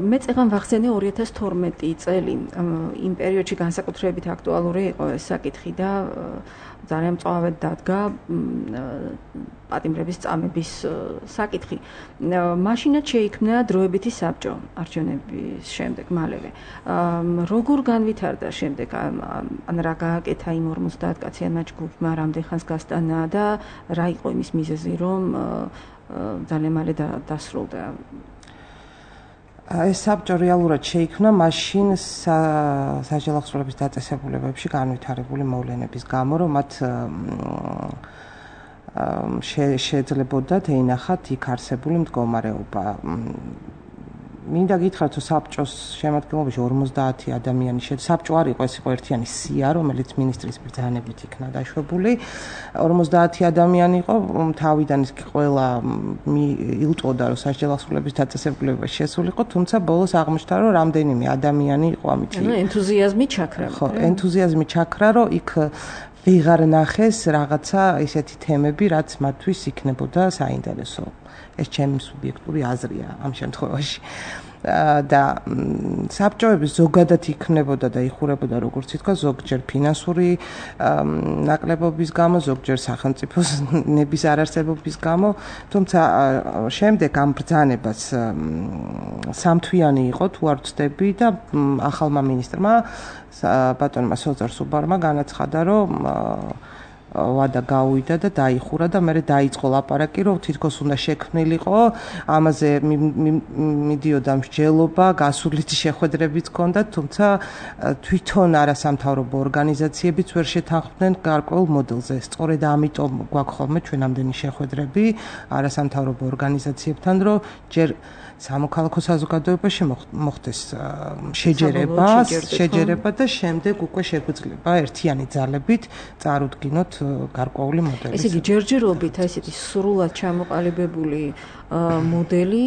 მე წეგან ვახსენე ორი ათას თორმეტი წელი, იმ პერიოდში განსაკუთრებით აქტუალური იყო ეს საკითხი და ძალიან მწვავედ დადგა პატიმრების წამების საკითხი. მაშინაც შეიქმნა დროებითი საბჭო არჩევნების შემდეგ მალევე. როგორ განვითარდა შემდეგ ან რა გააკეთა იმ ორმოცდაათ კაციანმა ჯგუფმა, რამდენ ხანს გასტანა და რა იყო იმის მიზეზი, რომ ძალიან მალე დასრულდა? ეს საბჭო რეალურად შეიქმნა მაშინ სასჯელახსრულების დაწესებულებებში განვითარებული მოვლენების გამო, რომ მათ შეეძლებოდათ ეინახათ იქ არსებული მდგომარეობა. მინდა გითხრათ, რომ საბჭოს შემადგენლობაში ორმოცდაათი ადამიანი შედის. საბჭო არ იყო, ეს იყო ერთიანი სია, რომელიც მინისტრის ბრძანებით იქნა დაშვებული. ორმოცდაათი ადამიანი იყო, თავიდან ის ყველა ილტოდა, რომ სასჯელახსრულების დაწესებულებაში შესულიყო, თუმცა ბოლოს აღმოჩნდა, რომ რამდენიმე ადამიანი იყო ამით. ანუ ენთუზიაზმი ჩაქრა. ხო, ენთუზიაზმი ჩაქრა, რომ იქ ვეღარ ნახეს რაღაცა ესეთი თემები, რაც მათთვის იქნებოდა საინტერესო. ეს ჩემი სუბიექტური აზრია ამ შემთხვევაში. და საბჭოების ზოგადად იქნებოდა და იხურებოდა როგორც ითქვა ზოგჯერ ფინანსური ნაკლებობის გამო, ზოგჯერ სახელმწიფოს ნების არარსებობის გამო, თუმცა შემდეგ ამ ბრძანებას სამთვიანი იყო თუ არ ვცდები და ახალმა მინისტრმა ბატონმა სოზარ სუბარმა განაცხადა, რომ ვადა გავუვიდა და დაიხურა და მერე დაიწყო ლაპარაკი, რომ თითქოს უნდა შექმნილიყო, ამაზე მიდიოდა მსჯელობა, გასულით შეხვედრებიც ჰქონდა, თუმცა თვითონ არასამთავრობო ორგანიზაციებიც ვერ შეთანხმდნენ გარკვეულ მოდელზე. სწორედ ამიტომ გვაქვს ხოლმე ჩვენ ამდენი შეხვედრები არასამთავრობო ორგანიზაციებთან, რომ ჯერ სამოქალაქო საზოგადოებაში მოხდეს შეჯერება, შეჯერება და შემდეგ უკვე შეგვიძლია ერთიანი ძალებით წარუდგინოთ გარკვეული მოდელი. ესე იგი ჯერჯერობით ესეთი სრულად ჩამოყალიბებული მოდელი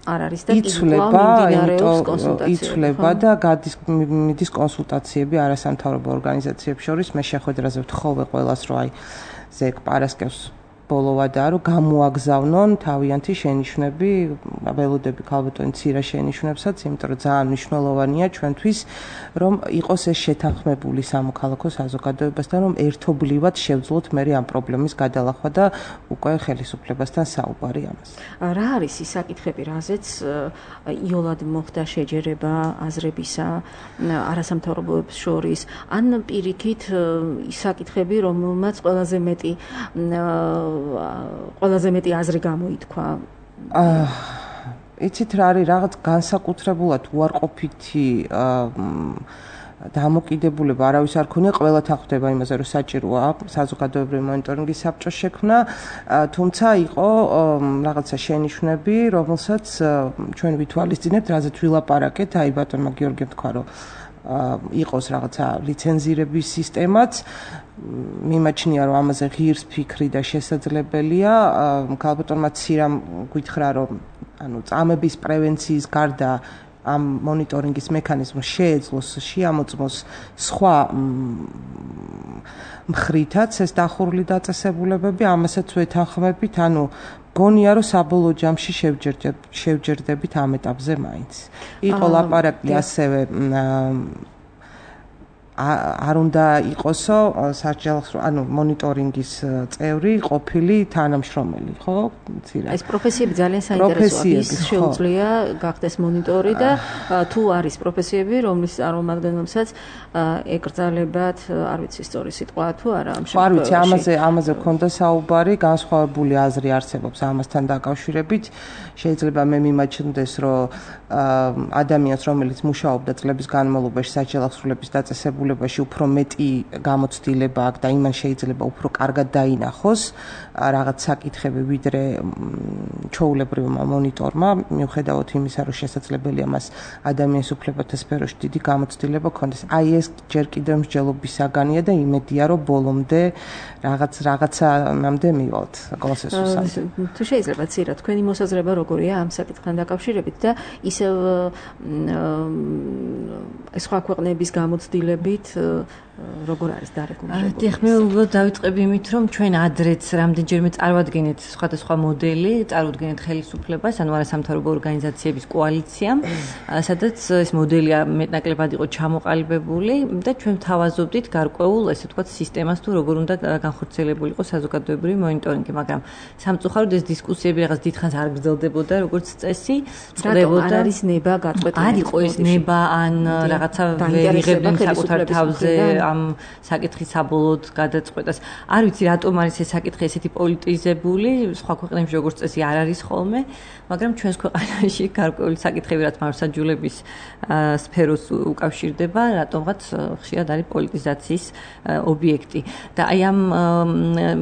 არ არის და იცვლება, იმიტომ იცვლება და გადის მიდის კონსულტაციები არასამთავრობო ორგანიზაციებს შორის. მე შეხვედრაზე ვთხოვე ყველას, რომ აი ზეგ პარასკევს ბოლოვადაა, რომ გამოაგზავნონ თავიანთი შენიშვნები, ველოდები ქალბატონი ცირა შენიშვნებსაც, იმიტომ რომ ძალიან მნიშვნელოვანია ჩვენთვის, რომ იყოს ეს შეთანხმებული სამოქალაქო საზოგადოებასთან, რომ ერთობლივად შევძლოთ მე ამ პრობლემის გადალახვა და უკვე ხელისუფლებასთან საუბარი ამას. რა არის ის საკითხები, რაზეც იოლად მოხდა შეჯერება აზრებისა არასამთავრობოებს შორის, ან პირიქით ის საკითხები, რომელმაც ყველაზე მეტი ყველაზე მეტი აზრი გამოითქვა? აა იცით რა არის, რაღაც განსაკუთრებულად უარყოფითი დამოკიდებულება არავის არ ქონია, ყველა თანხმდება იმაზე, რომ საჭიროა საზოგადოებრივი მონიტორინგის საბჭოს შექმნა, თუმცა იყო რაღაცა შენიშვნები, რომელსაც ჩვენ ვითვალისწინებთ, რაზეც ვილაპარაკეთ, აი ბატონმა გიორგიმ თქვა, რომ იყოს რაღაცა ლიცენზირების სისტემაც, მიმაჩნია, რომ ამაზე ღირს ფიქრი და შესაძლებელია. ქალბატონმა ცირამ გითხრა, რომ ანუ წამების პრევენციის გარდა ამ მონიტორინგის მექანიზმს შეეძლოს შეამოწმოს სხვა მხრითაც ეს დახურული დაწესებულებები, ამასაც ვეთანხმებით, ანუ გონია, რომ საბოლოო ჯამში შევჯერდებით ამ ეტაპზე მაინც. იყო ლაპარაკი ასევე არ უნდა იყოსო საჯელახო, ანუ მონიტორინგის წევრი ყოფილი თანამშრომელი, ხო? ეს პროფესიები ძალიან საინტერესოა. ის შეუძლია გახდეს მონიტორი და თუ არის პროფესიები, რომლის წარმომადგენლებსაც ეკრძალებათ, არ ვიცი სწორი სიტყვა თუ არა ამ შემთხვევაში. არ ვიცი, ამაზე ამაზე გქონდა საუბარი, განსხვავებული აზრი არსებობს ამასთან დაკავშირებით. შეიძლება მე მიმაჩნდეს, რომ ადამიანს, რომელიც მუშაობდა წლების განმავლობაში საჯელახსრულების დაწესებულებაში, უფრო მეტი გამოცდილება აქვს და იმან შეიძლება უფრო კარგად დაინახოს რაღაც საკითხები, ვიდრე ჩვეულებრივმა მონიტორმა, მიუხედავად იმისა, რომ შესაძლებელია მას ადამიანის უფლებათა სფეროში დიდი გამოცდილება ჰქონდეს. აი ეს ჯერ კიდევ მსჯელობის საგანია და იმედია, რომ ბოლომდე რაღაც რაღაცანამდე მივალთ კონსენსუსამდე. თუ შეიძლება ცირა თქვენი მოსაზრება როგორია ამ საკითხთან დაკავშირებით და ისევ სხვა ქვეყნების გამოცდილებით როგორ არის დარეგულირებული? დიახ, მე უბრალოდ დავიწყები იმით, რომ ჩვენ ადრეც რამდენჯერმე წარვადგენთ სხვადასხვა მოდელი, წარუდგენთ ხელისუფლებას, ანუ არასამთავრობო ორგანიზაციების კოალიციამ, სადაც ეს მოდელია მეტნაკლებად იყო ჩამოყალიბებული და ჩვენ ვთავაზობდით გარკვეულ, ესე ვთქვათ, სისტემას თუ როგორ უნდა განხორციელებულიყო საზოგადოებრივი მონიტორინგი, მაგრამ სამწუხაროდ ეს დისკუსიები რაღაც დიდხანს არ გრძელდებოდა, როგორც წესი, წყდებოდა. არ არის ნება გაწყვეტილი. არ იყო ეს ნება ან რაღაცა ვერიღებდნენ საკუთარ თავზე ამ საკითხის საბოლოოდ გადაწყვეტას. არ ვიცი რატომ არის ეს საკითხი ესეთი პოლიტიზებული, სხვა ქვეყნებში როგორც წესი არ არის ხოლმე, მაგრამ ჩვენს ქვეყანაში გარკვეული საკითხები, რაც მართლმსაჯულების სფეროს უკავშირდება, რატომღაც ხშირად არის პოლიტიზაციის ობიექტი. და აი ამ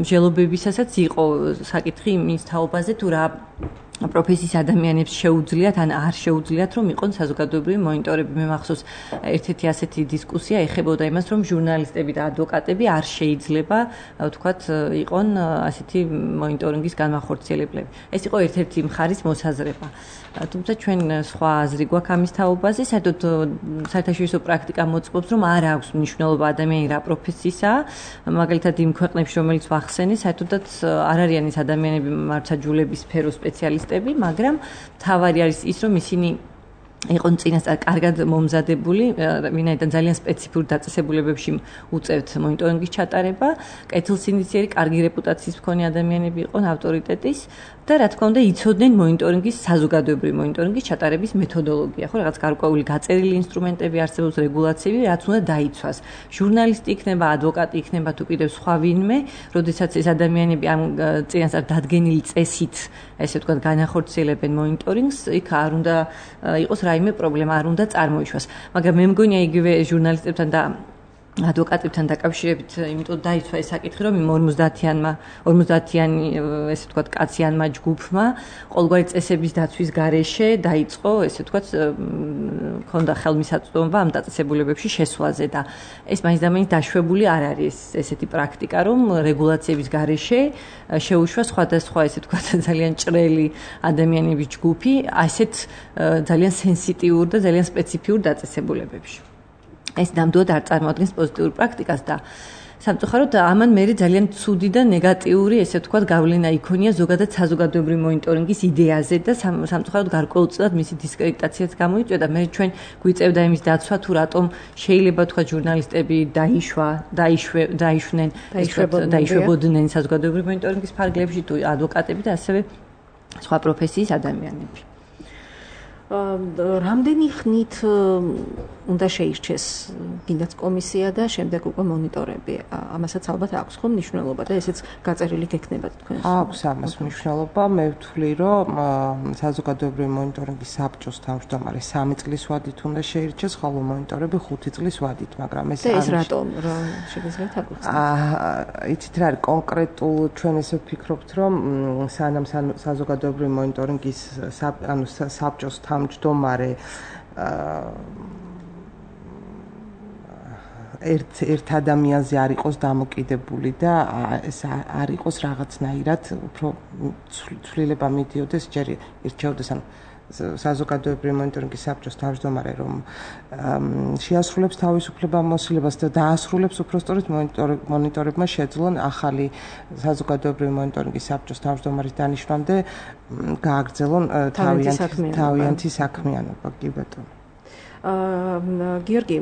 მსჯელობებისასაც იყო საკითხი იმის თაობაზე, თუ რა პროფესიის ადამიანებს შეუძლიათ ან არ შეუძლიათ რომ იყონ საზოგადოებრივი მონიტორები. მე მახსოვს ერთ-ერთი ასეთი დისკუსია ეხებოდა იმას, რომ ჟურნალისტები და ადვოკატები არ შეიძლება ვთქვათ იყონ ასეთი მონიტორინგის განმახორციელებლები. ეს იყო ერთ-ერთი მხარის მოსაზრება. თუმცა ჩვენ სხვა აზრი გვაქვს ამის თაობაზე, საერთოდ საერთაშორისო პრაქტიკა მოწმობს, რომ არ აქვს მნიშვნელობა ადამიანი რა პროფესიისაა, მაგალითად იმ ქვეყნებში, რომელიც ვახსენე, საერთოდაც არ არიან ის ადამიანები მართლმსაჯულების სფეროს სპეციალისტები, მაგრამ თავარი არის ის, რომ ისინი იყონ წინასწარ კარგად მომზადებული, ვინაიდან ძალიან სპეციფიურ დაწესებულებებში უწევთ მონიტორინგის ჩატარება, კეთილსინდისიერი, კარგი რეპუტაციის მქონე ადამიანები იყონ ავტორიტეტის და რა თქმა უნდა იცოდნენ მონიტორინგის საზოგადოებრივი მონიტორინგის ჩატარების მეთოდოლოგია, ხო, რაღაც გარკვეული გაწერილი ინსტრუმენტები არსებობს, რეგულაციები, რაც უნდა დაიცვას. ჟურნალისტი იქნება, ადვოკატი იქნება თუ კიდევ სხვა ვინმე, როდესაც ეს ადამიანები ამ წინასწარ დადგენილი წესით, ესე ვთქვათ, განახორციელებენ მონიტორინგს, იქ არ უნდა იყოს რაიმე პრობლემა, არ უნდა წარმოიშვას. მაგრამ მე მგონია იგივე ჟურნალისტებთან და ადვოკატებთან დაკავშირებით, იმიტომ დაიცვა ეს საკითხი, რომ იმ ორმოცდაათიანმა ორმოცდაათიანი ესე ვთქვათ კაციანმა ჯგუფმა ყოველგვარი წესების დაცვის გარეშე დაიწყო, ესე ვთქვათ, ქონდა ხელმისაწვდომობა ამ დაწესებულებებში შესვლაზე და ეს მაინც და მაინც დაშვებული არ არის ესეთი პრაქტიკა, რომ რეგულაციების გარეშე შეუშვა სხვადასხვა ესე ვთქვათ ძალიან ჭრელი ადამიანების ჯგუფი ასეთ ძალიან სენსიტიურ და ძალიან სპეციფიურ დაწესებულებებში. ეს ნამდვილად არ წარმოადგენს პოზიტიურ პრაქტიკას და სამწუხაროდ ამან მე ძალიან ცუდი და ნეგატიური ესე ვთქვათ გავლენა იქონია ზოგადად საზოგადოებრივი მონიტორინგის იდეაზე და სამწუხაროდ გარკვეულწილად მისი დისკრედიტაციაც გამოიწვია. მე ჩვენ გვიწევდა იმის დაცვა თუ რატომ შეიძლება თქვა ჟურნალისტები დაიშვა, დაიშვე, დაიშვნენ, დაიშვებოდნენ საზოგადოებრივი მონიტორინგის ფარგლებში თუ ადვოკატები და ასევე სხვა პროფესიის ადამიანები. რამდენი ხნით უნდა შეირჩეს კიდაც კომისია და შემდეგ უკვე მონიტორები. ამასაც ალბათ აქვს ხო მნიშვნელობა და ესეც გაწერილი გექნებათ თქვენ. აქვს ამას მნიშვნელობა. მე ვთვლი, რომ საზოგადოებრივი მონიტორინგის საბჭოს თავმჯდომარე სამი წლის ვადით უნდა შეირჩეს, ხოლო მონიტორები ხუთი წლის ვადით, მაგრამ ეს ეს რატომ რა შეგიძლიათ აღვხსნათ? აა, იცით რა არის კონკრეტულ ჩვენ ესე ვფიქრობთ, რომ სანამ საზოგადოებრივი მონიტორინგის ანუ საბჭოს თავმჯდომარე ერთ ერთ ადამიანზე არ იყოს დამოკიდებული და ეს არ იყოს რაღაცნაირად უფრო ცვლილება მიდიოდეს, ჯერ ირჩეოდეს ან საზოგადოებრივი მონიტორინგის საბჭოს თავმჯდომარე, რომ შეასრულებს თავისუფლებამოსილებას და დაასრულებს უпростоრად მონიტორებმა შეძლონ ახალი საზოგადოებრივი მონიტორინგის საბჭოს თავმჯდომარის დანიშვნამდე გააგრძელონ თავიანთი საქმიანობა. კი ბატონო. გიორგი,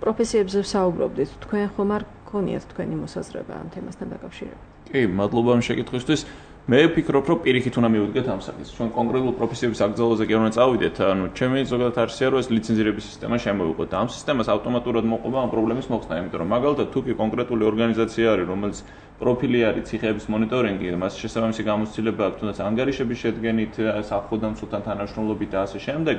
პროფესიებზე ვსაუბრობდით, თქვენ ხომ არ გქონიათ თქვენი მოსაზრება ამ თემასთან დაკავშირებით? კი, მადლობა ამ შეკითხვისთვის. მე ვფიქრობ, რომ პირიქით უნდა მივუდგეთ ამ საკითხს. ჩვენ კონკრეტულ პროფესიების აკრძალვაზე კი არ უნდა წავიდეთ. ანუ ჩემი ზოგადად არცია, რომ ეს ლიცენზირების სისტემა შემოვიყოთ და ამ სისტემას ავტომატურად მოყვება ამ პრობლემის მოხსნა, იმიტომ რომ მაგალითად თუ კი კონკრეტული ორგანიზაცია არის, რომელიც პროფილი არის ციხეების მონიტორინგი, მას შესაბამისი გამოცდილება აქვს, თუნდაც ანგარიშების შედგენით, საფხოდამცველთან თანამშრომლობით და ასე შემდეგ,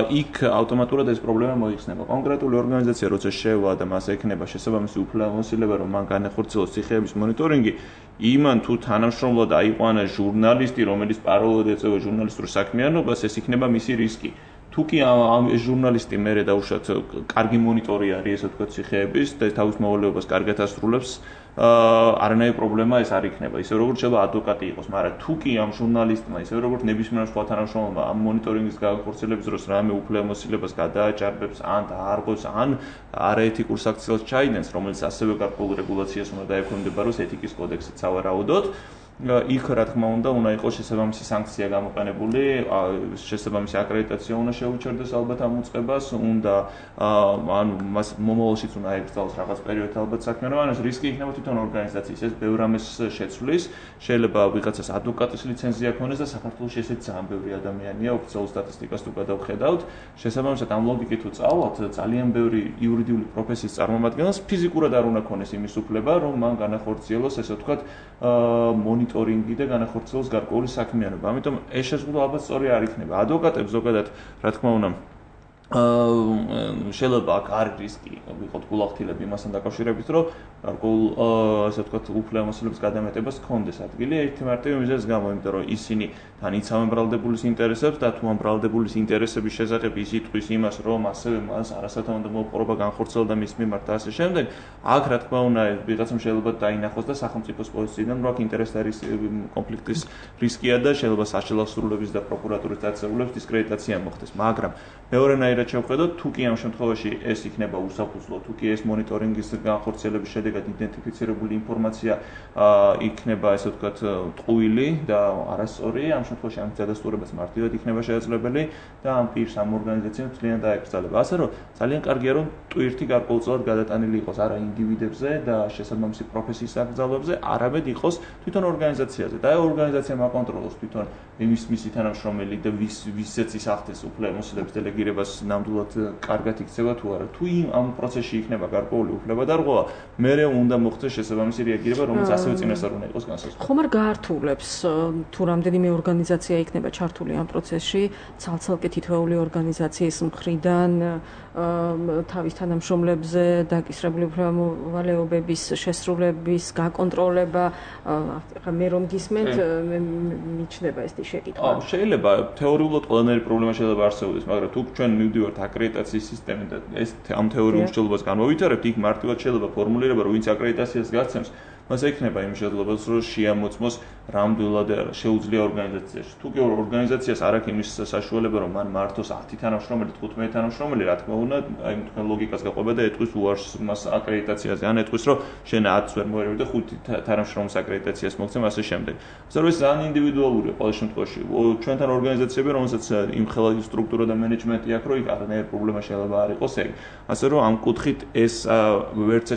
იქ ავტომატურად ეს პრობლემა მოიხსნება. კონკრეტული ორგანიზაცია როცა შევა და მას ექნება შესაბამისი უფლებამოსილება, რომ მან განახორციელოს ციხეების მონიტორინგი, იმან თუ თანამშრომლად აიყვანა ჟურნალისტი, რომელიც პარალელურად ეწევა ჟურნალისტურ საქმიანობას, ეს იქნება მისი რისკი. თუ კი ამ ჟურნალისტი მერე დაუშვათ კარგი მონიტორი არის, ესე ვთქვათ, ციხეების და თავის მოვალეობას კარგად ასრულებს, არანაირი პრობლემა ეს არ იქნება. ისე როგორც შეიძლება ადვოკატი იყოს, მაგრამ თუ კი ამ ჟურნალისტმა, ისე როგორც ნებისმიერ სხვა თანამშრომელმა ამ მონიტორინგის განხორციელების დროს რამე უფლებამოსილებას გადააჭარბებს, ან დაარღვევს, ან არაეთიკურ საქციელს ჩაიდენს, რომელიც ასევე გარკვეულ რეგულაციას უნდა დაექვემდებაროს ეთიკის კოდექსით სავარაუდოდ, იქ რა თქმა უნდა უნდა იყოს შესაბამისი სანქცია გამოყენებული, შესაბამისი აკრედიტაცია უნდა შეუჩერდეს ალბათ ამ უწყებას, უნდა ანუ მას მომავალშიც უნდა აეკრძალოს რაღაც პერიოდით ალბათ საქმიანობა, ანუ ეს რისკი იქნება თვითონ ორგანიზაციის, ეს ბევრ ამას შეცვლის, შეიძლება ვიღაცას ადვოკატის ლიცენზია ქონდეს და საქართველოში ესეც ძალიან ბევრი ადამიანია, ოფიციალურ სტატისტიკას თუ გადავხედავთ, შესაბამისად ამ ლოგიკით თუ წავლობთ, ძალიან ბევრი იურიდიული პროფესიის წარმომადგენელს ფიზიკურად არ უნდა ქონდეს იმის უფლება, რომ მან განახორციელოს, ესე ვთქვათ, მონიტორინგი და განახორციელოს გარკვეული საქმიანობა. ამიტომ ეს შეზღუდვა ალბათ სწორი არ იქნება. ადვოკატებს ზოგადად, რა თქმა უნდა, შეიძლება აქ არ რისკი ვიყოთ გულახდილები იმასთან დაკავშირებით, რომ გარკვეულ ასე ვთქვათ უფლებამოსილების გადამეტებას ჰქონდეს ადგილი ერთი მარტივი მიზეზის გამო, იმიტომ რომ ისინი თან იცავენ ბრალდებულის ინტერესებს და თუ ამ ბრალდებულის ინტერესების შესახებ ის იტყვის იმას, რომ ასევე მას არასათანადო მოპყრობა განხორციელდა მის მიმართ და ასე შემდეგ, აქ რა თქმა უნდა ვიღაცამ შეიძლება დაინახოს და სახელმწიფოს პოზიციიდან რომ აქ ინტერესების კონფლიქტის რისკია და შეიძლება საშინაო სრულების და პროკურატურის დაწესებულების დისკრედიტაცია მოხდეს, მაგრამ მეორენაირად შევხედოთ, თუ კი ამ შემთხვევაში ეს იქნება უსაფუძვლო, თუ კი ეს მონიტორინგის განხორციელების შედეგად იდენტიფიცირებული ინფორმაცია იქნება, ასე ვთქვათ, ტყუილი და არასწორი, ამ შემთხვევაში ამ დადასტურებას მარტივად იქნება შესაძლებელი და ამ პირს ამ ორგანიზაციამ ძალიან დაეკრძალება. ასე რომ ძალიან კარგია, რომ ტვირთი გარკვეულწილად გადატანილი იყოს არა ინდივიდებზე და შესაბამისი პროფესიის აკრძალვებზე, არამედ იყოს თვითონ ორგანიზაციაზე. და ორგანიზაციამ აკონტროლოს თვითონ იმის მისი თანამშრომელი და ვის ვისაც ის ახდენს უფლებამოსილების დელეგირებას ნამდვილად კარგად იქცევა თუ არა. თუ იმ ამ პროცესში იქნება გარკვეული უფლებადარღვევა, მერე უნდა მოხდეს შესაბამისი რეაგირება, რომელიც ასევე წინასწარ უნდა იყოს განსაზღვრული. ხომ არ გაართულებს თუ რამდენიმე ორგანიზაცია იქნება ჩართული ამ პროცესში, ცალ-ცალკე თითოეული ორგანიზაციის მხრიდან თავის თანამშრომლებზე დაკისრებული უფლებამოვალეობების შესრულების გაკონტროლება, ახლა მე რომ გისმენთ, მიჩნდება ეს შეკითხვა. შეიძლება თეორიულად ყველანაირი პრობლემა შეიძლება არსებობდეს, მაგრამ თუ ჩვენ მივდივართ აკრედიტაციის სისტემით და ეს ამ თეორიულ მსჯელობას განმოვითარებთ, იქ მარტივად შეიძლება ფორმულირება, რომ ვინც აკრედიტაციას გასცემს, მას ექნება იმ შესაძლებლობას, რომ შეამოწმოს რამდენად შეუძლია ორგანიზაციაში. თუ კი ორგანიზაციას არ აქვს იმის საშუალება, რომ მან მართოს ათი თანამშრომელი, თხუთმეტი თანამშრომელი, რა თქმა უნდა, აი თქვენ ლოგიკას გაყვება და ეტყვის უარს მას აკრედიტაციაზე, ან ეტყვის, რომ შენ ათს ვერ მოერევი და ხუთი თანამშრომლის აკრედიტაციას მოგცემ ასე შემდეგ. ასე რომ ეს ძალიან ინდივიდუალურია ყოველ შემთხვევაში. ჩვენთან ორგანიზაციები, რომელსაც იმ ხელადი სტრუქტურა და მენეჯმენტი აქვს, რომ იქ არანაირი პრობლემა შეიძლება არ იყოს ეგ. ასე რომ ამ კუთხით ეს ვერც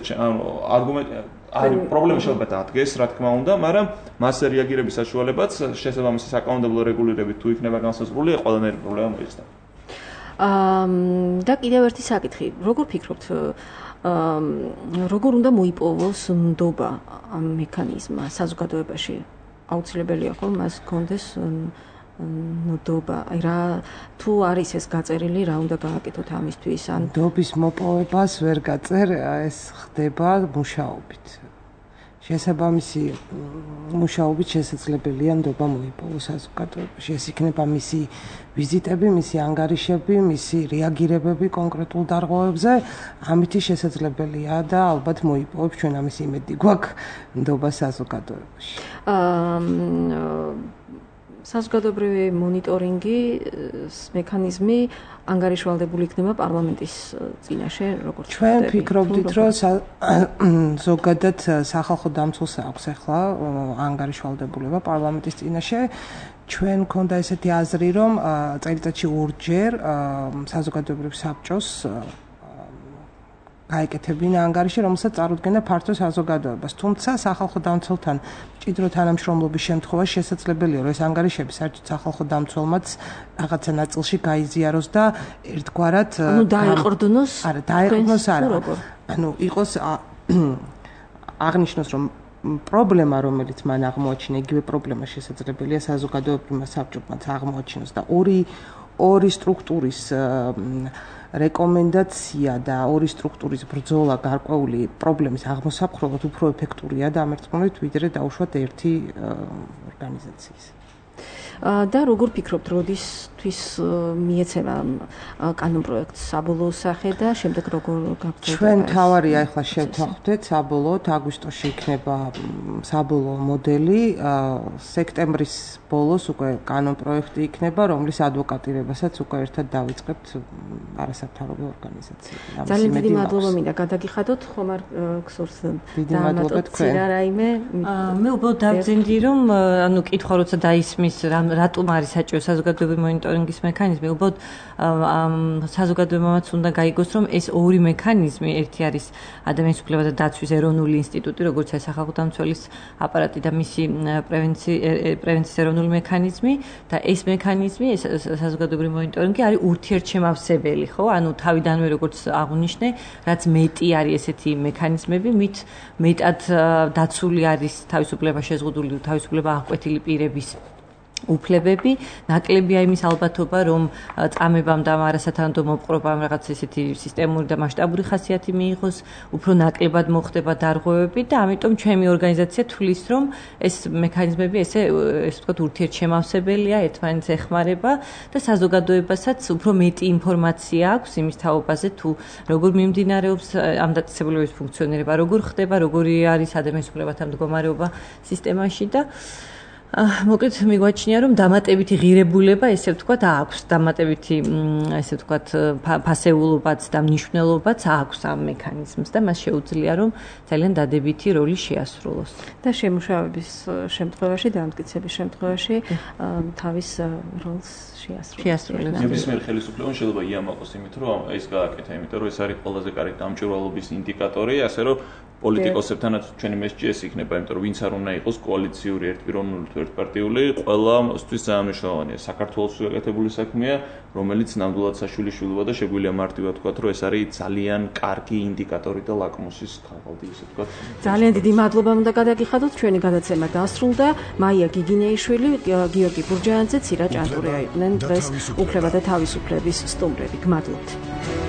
არგუმენტი არის პრობლემა შეიძლება დადგეს, რა თქმა უნდა, მაგრამ მასზე რეაგირების საშუალებაც შესაბამისი საკანონმდებლო რეგულირებით თუ იქნება განსაზღვრული, ყველანაირი პრობლემა მოიხსნა. აა და კიდევ ერთი საკითხი, როგორ ფიქრობთ, როგორ უნდა მოიპოვოს ნდობა ამ მექანიზმმა საზოგადოებაში? აუცილებელია ხო მას გქონდეს ნდობა, აი რა თუ არის ეს გაწერილი, რა უნდა გააკეთოთ ამისთვის? ან ნდობის მოპოვებას ვერ გაწერ, ეს ხდება მუშაობით. შესაბამისი მუშაობით შესაძლებელია ნდობა მოიპოვოს საზოგადოებაში. ეს იქნება მისი ვიზიტები, მისი ანგარიშები, მისი რეაგირებები კონკრეტულ დარღვევებზე, ამითი შესაძლებელია და ალბათ მოიპოვებს, ჩვენ ამის იმედი გვაქვს ნდობა საზოგადოებაში. აა საზოგადოებრივი მონიტორინგის მექანიზმი ანგარიშვალდებული იქნება პარლამენტის წინაშე, როგორც ჩვენ ფიქრობდით, რომ ზოგადად სახალხო დამცველს აქვს ახლა ანგარიშვალდებულება პარლამენტის წინაშე. ჩვენ მქონდა ესეთი აზრი, რომ წელიწადში ორჯერ საზოგადოებრივ საბჭოს გაეკეთებინა ანგარიში, რომელსაც წარუდგენდა ფართო საზოგადოებას. თუმცა სახალხო დამცველთან მჭიდრო თანამშრომლობის შემთხვევაში შესაძლებელია, რომ ეს ანგარიშები საერთოდ სახალხო დამცველმაც რაღაცა ნაწილში გაიზიაროს და ერთგვარად ანუ დაეყრდნოს? არა, დაეყრდნოს არა. ანუ იყოს აღნიშნოს, რომ პრობლემა, რომელიც მან აღმოაჩინა, იგივე პრობლემა შესაძლებელია საზოგადოებრივმა საბჭომაც აღმოაჩინოს და ორი ორი სტრუქტურის რეკომენდაცია და ორი სტრუქტურის ბრძოლა გარკვეული პრობლემის აღმოსაფხვრელად უფრო ეფექტურია და ამერწმუნებით ვიდრე დაუშვათ ერთი ორგანიზაციის. და როგორ ფიქრობთ, როდისთვის მიეცემა კანონპროექტს საბოლოო სახე და შემდეგ როგორ გაგრძელდება? ჩვენ თავარია ახლა შევთანხმდეთ საბოლოოდ, აგვისტოში იქნება საბოლოო მოდელი, სექტემბრის ბოლოს უკვე კანონპროექტი იქნება, რომლის ადვოკატირებასაც უკვე ერთად დავიწყებთ არასამთავრობო ორგანიზაციებთან. ძალიან დიდი მადლობა მინდა გადაგიხადოთ, ხომ არ გსურს დაამატოთ რაიმე? მე უბრალოდ დავძინდი, რომ ანუ კითხვა როცა დაისმის რატომ არის საჭირო საზოგადოებრივი მონიტორინგის მექანიზმი, უბრალოდ საზოგადოებამაც უნდა გაიგოს, რომ ეს ორი მექანიზმი, ერთი არის ადამიანის უფლებათა დაცვის ეროვნული ინსტიტუტი, როგორც ეს სახალხო დამცველის აპარატი და მისი პრევენციის ეროვნული მექანიზმი და ეს მექანიზმი, ეს საზოგადოებრივი მონიტორინგი არის ურთიერთშემავსებელი, ხო? ანუ თავიდანვე როგორც აღვნიშნე, რაც მეტი არის ესეთი მექანიზმები, მით მეტად დაცული არის თავისუფლება შეზღუდული, თავისუფლება აღკვეთილი პირების უფლებები, ნაკლებია იმის ალბათობა, რომ წამებამ და არასათანადო მოპყრობამ რაღაც ესეთი სისტემური და მასშტაბური ხასიათი მიიღოს, უფრო ნაკლებად მოხდება დარღვევები და ამიტომ ჩემი ორგანიზაცია თვლის, რომ ეს მექანიზმები ესე ესე ვთქვათ ურთიერთშემავსებელია, ერთმანეთს ეხმარება და საზოგადოებასაც უფრო მეტი ინფორმაცია აქვს იმის თაობაზე, თუ როგორ მიმდინარეობს ამ დაწესებულების ფუნქციონირება, როგორ ხდება, როგორი არის ადამიანის უფლებათა მდგომარეობა სისტემაში და მოკლედ მიგვაჩნია რომ დამატებითი ღირებულება ესე ვთქვათ აქვს დამატებითი ესე ვთქვათ ფასეულობაც და მნიშვნელობაც აქვს ამ მექანიზმს და მას შეუძლია რომ ძალიან დადებითი როლი შეასრულოს და შემუშავების შემთხვევაში და ამტკიცების შემთხვევაში თავის როლს შეასრულებს ნებისმიერ ხელისუფლებამ შეიძლება იამაყოს იმით რომ ეს გააკეთა იმიტომ რომ ეს არის ყველაზე კარგი დამჭირვალობის ინდიკატორი ასე რომ პოლიტიკოსებთანაც ჩვენი მესჯი ეს იქნება, იმიტომ რომ ვინც არ უნდა იყოს კოალიციური, ერთპიროვნული თუ ერთპარტიული, ყველასთვის ძალიან მნიშვნელოვანია. საქართველოს გაკეთებული საქმეა, რომელიც ნამდვილად საშვილიშვილოა და შეგვიძლია მარტივად ვთქვათ, რომ ეს არის ძალიან კარგი ინდიკატორი და ლაკმუსის ქაღალდი, ისე ვთქვათ. ძალიან დიდი მადლობა უნდა გადაგიხადოთ, ჩვენი გადაცემა დასრულდა. მაია გიგინეიშვილი, გიორგი ბურჯაანძე, ცირა ჭანტურია იყვნენ დღეს უფლება და თავისუფლების სტუმრები. გმადლობთ.